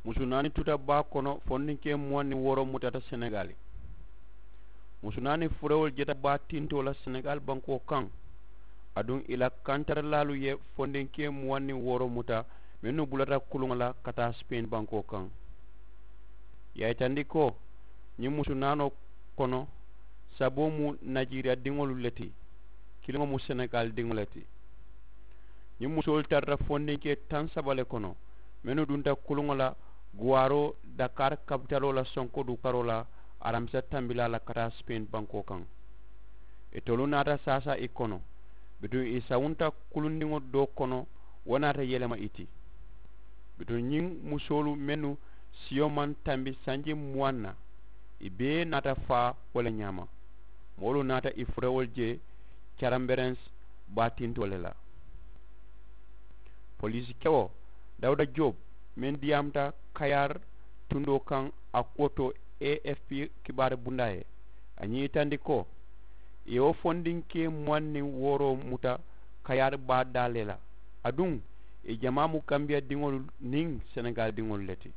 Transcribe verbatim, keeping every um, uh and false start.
Musu naani tuta baa kono fondinkee muwaŋ niŋ wooro mutata senegaali. Musu naani furewolu jeta baa tintoo la senegaali bankoo kaŋ. Aduŋ ì la kantaralaalu ye fondinkee muwaŋ niŋ wooro muta mennu bulata kuluŋo la ka taa sipeeni bankoo kaŋ. Ì ye a yitandi ko ñiŋ musu naanoo kono saboo mu najiiriya diŋolu le ti. Kiliŋo mu senegaali diŋo le ti. Ñiŋ musoolu tarata fondinkee taŋ saba le kono mennu dunta kuluŋo la guwaaroo dakaari kapitaloo la sonko dukaroo la aramisa tambilaa la ka taa sipeeni bankoo kaŋ. Itolu naata saasaa ì kono bituŋ ì sawunta kulundiŋo doo kono. Wo naata yelema ì ti bituŋ ñiŋ musoolu mennu siyo maŋ tambi sanji muwaŋ na ì bee naata faa wo le ñaama. Moolu naata ì furewolu je caramberensi baatintoo le la. Poliisi kewo dawuda joob meŋ diyaamuta kayaari tundoo kaŋ a kuwo to a f p kibaari bundaa ye a ñiitandi ko ì ye wo fondinkee muwaŋ niŋ wooroo muta kayaari baa daa le la. Aduŋ ì jamaa mu kambiya diŋolu niŋ senegaali diŋolu le ti.